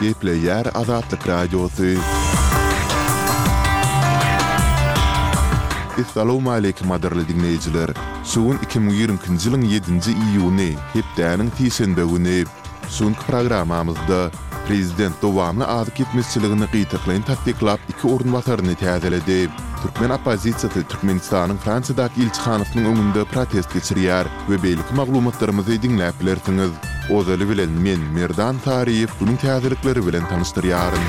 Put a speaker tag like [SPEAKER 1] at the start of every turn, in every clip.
[SPEAKER 1] Gepleýär Azatlyk Radiosy. Essalawmaleýkim gadyrly diňleýjiler! Şu gün 2022-nji ýylyň ýedinji iýuny, hepdäniň sişenbe güni. Şu günki programmamyzda Prezident dowamly azyk ýetmezçiligini gytaklaýyn tassyklap iki orunbasaryny täzeledi. Türkmen oppozisiýasy Türkmenistanyň Fransiýadaky ilçihanasynyň öňünde protest geçirýär we beýleki maglumatlarymyzy diňläp bilersiňiz. Ozaly bilen men, Merdan Saryýew günüň täzelikleri bilen tanyşdyrýaryn.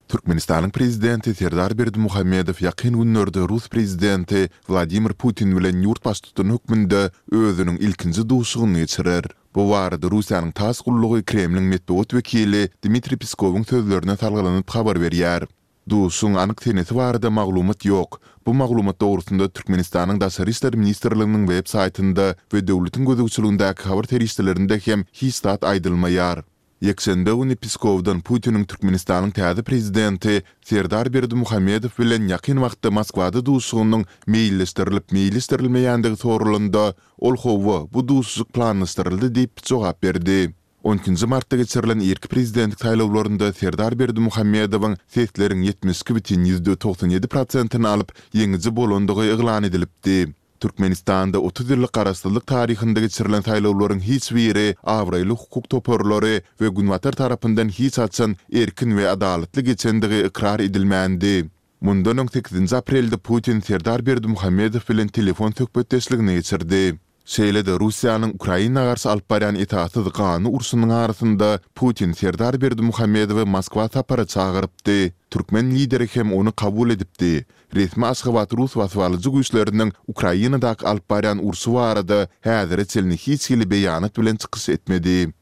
[SPEAKER 1] Türkmenistanyň Prezidenti Serdar Berdimuhamedow ýakyn günlerde rus Prezidenti Wladimir Putin bilen ýurt baştutany hökmünde özüniň ilkinji duşuşygyny geçirer. Bu barada Russiýanyň tass gullugy Kremliň metbugat wekili Dmitriý Peskowyň sözlerine salgylanyp habar berýär. Duşuşygyň anyk senesi barada maglumat ýok. Bu maglumat dogrusynda Türkmenistanyň Daşary işler ministrliginiň web saýtynda we döwletiň gözegçiligindäki habar serişdelerinde hem hiç zat aýdylmaýar. Ýekşenbe güni Peskowdan Putiniň Türkmenistanyň täze prezidenti Serdar Berdimuhamedow bilen ýakyn wagtda Moskwada duşuşygynyň meýilleşdirilip-meýilleşdirilmeýändigi soralanda, ol hawa, bu duşuşyk planlaşdyryldy diýip jogap berdi. On ikinji martda geçirilen irki prezidentlik saýlawlarynda Serdar Berdimuhamedowyň sesleriň 72,97 prosentini alyp, ýeňiji bolandygy yglan edilipdi. Türkmenistanda 30 ýyllyk garaşsyzlyk taryhynda geçirilen saýlawlaryň hiç biri abraýly hukuk toparlary we Günbatar tarapyndan hiç haçan erkin we adalatly geçendigi ykrar edilmändi. Mundan öň sekizinji aprelde Putin Serdar Berdimuhamedow bilen telefon söhbetdeşligini geçirdi. Şeýle-de Russiýanyň Ukraina garşy alyp barýan esassyz ganly urşunyň arasynda Putin Serdar Berdimuhamedowy Moskwa sapara çagyrypdy. Türkmen lideri hem ony kabul edipdi. Resmi Aşgabat rus basybalyjy güýçleriniň Ukrainadaky alyp barýan urşy barada häzire çenli hiç hili beýanat bilen çykyş etmedi.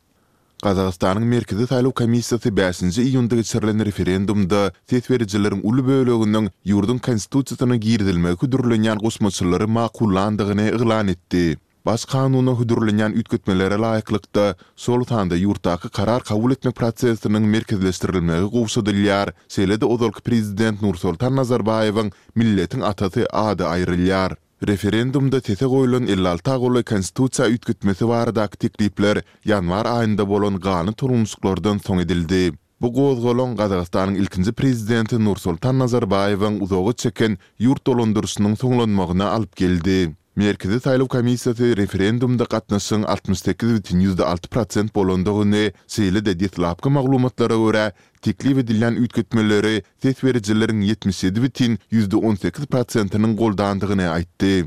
[SPEAKER 1] Gazagystanyň Merkezi saýlaw komissiýasy bäşinji iýunda geçirilen referendumda ses berijileriň uly böleginiň ýurduň Konstitusiýasyna girizilmegi hödürlenýän goşmaçalary makullandygyny yglan etdi. Baş kanuna hödürlenýän üýtgetmelere laýyklykda, şol sanda ýurtdaky karar kabul etmek prosesiniň merkezleşdirilmegi gowşadylýar, şeýle-de ozalky prezident Nursoltan Nazarbaýewiň Milletiň atasy ady aýrylýar. Referendumda sese goýlan 56 golaý konstitusiýa üýtgetmesi baradaky teklipler ýanwar aýynda bolan ganly tolgunyşyklardan soň edildi. Bu gozgalaň Gazagystanyň ilkinji prezidenti Nursoltan Nazarbaýewiň uzaga çeken ýurt dolandyryşynyň soňlanmagyna alyp geldi. Merkezi saýlaw komissiýasy referendumda gatnaşygyň 68,6 prosent bolandygyny, şeýle-de deslapky maglumatlara görä, teklip edilýän üýtgetmeleri ses berijileriň 77,18 prosentiniň goldandygyny aýtdy.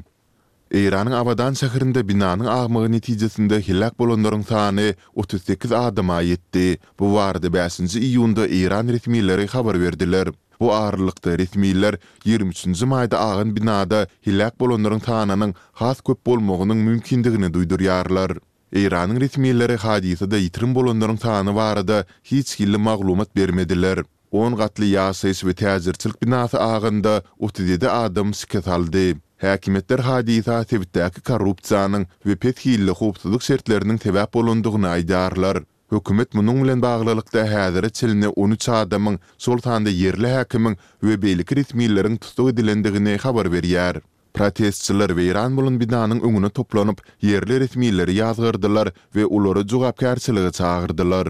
[SPEAKER 1] Eýranyň Abadan şäherinde binanyň agmagy netijesinde heläk bolanlaryň sany 38 adama ýetdi. Bu barada bäşinji iýunda eýran resmileri habar berdiler. Bu aralykda, resmiler ýigrimi üçünji maýda agan binada heläk bolanlaryň sanynyň has köp bolmagynyň mümkindigini duýdurýarlar. Eýranyň resmileri hadysada ýitirim bolanlaryň sany barada hiç hili maglumat bermediler. On gatly ýaşaýyş we täjirçilik binasy aganda 37 adam şikes aldy. Häkimiýetler hadysa sebitdäki korrupsiýanyň we pes hilli howpsuzlyk şertleriniň sebäp bolandygyny aýdýarlar. Hökümet munuň bilen baglylykda häzire çenli 13 adamyň, şol sanda ýerli häkimiň we beýleki resmileriň tussag edilendigini habar berýär. Protestçiler weýran bolan binanyň öňüne toplanyp, ýerli resmileri ýazgardylar we olary jogapkärçilige çagyrdylar.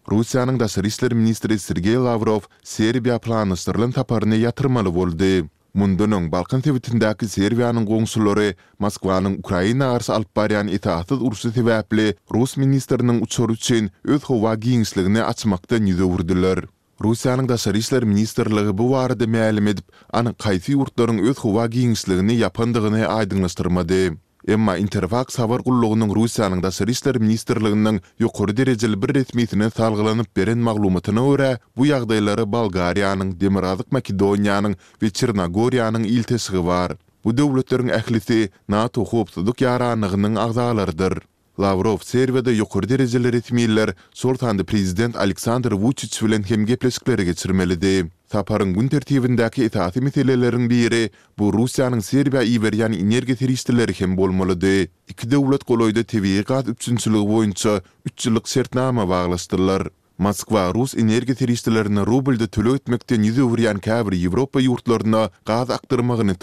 [SPEAKER 1] Russiýanyň daşary işler ministri Sergeý Lawrow Serbiýa planlaşdyrylan saparyny ýatyrmaly boldy. Mundan öň Balkan sebitindäki Serbiýanyň goňşulary Moskwanyň Ukraina garşy alyp barýan esassyz urşy sebäpli rus ministriniň uçary üçin öz howa giňişligini açmakdan ýüz öwürdiler. Russiýanyň Daşary işler ministrligi bu barada mälim edip, anyk haýsy ýurtlaryň öz howa giňişligini ýapandygyny aýdyňlaşdyrmady. Emma Interfaks habar gullugynyň Russiýanyň Daşary işler ministrliginiň ýokary derejeli bir resmisine salgylanyp beren maglumatyna görä, bu ýagdaýlara Bolgariýanyň, Demirgazyk Makedoniýanyň we Çernogoriýanyň ilteşigi bar. Bu döwletleriň ählisi NATO howpsuzlyk ýaranlygynyň agzalarydyr. Lawrow Serbiýada ýokary derejeli resmiler, şol sanda prezident Aleksandr Wuçiç bilen hem gepleşikleri geçirmelidi. Saparyň gün tertibindäki esasy meseleleriň biri bu Russiýanyň Serbiýa iberýän energiýa serişdeleri hem bolmalydy. Iki döwlet golaýda tebigy gaz üpjünçiligi boýunça üç ýyllyk şertnama baglaşdylar. Moskwa rus energiýa serişdelerini rublda töleg etmekden ýüz öwürýän käbir Ýewropa ýurtlaryna gaz akdyrmagyny.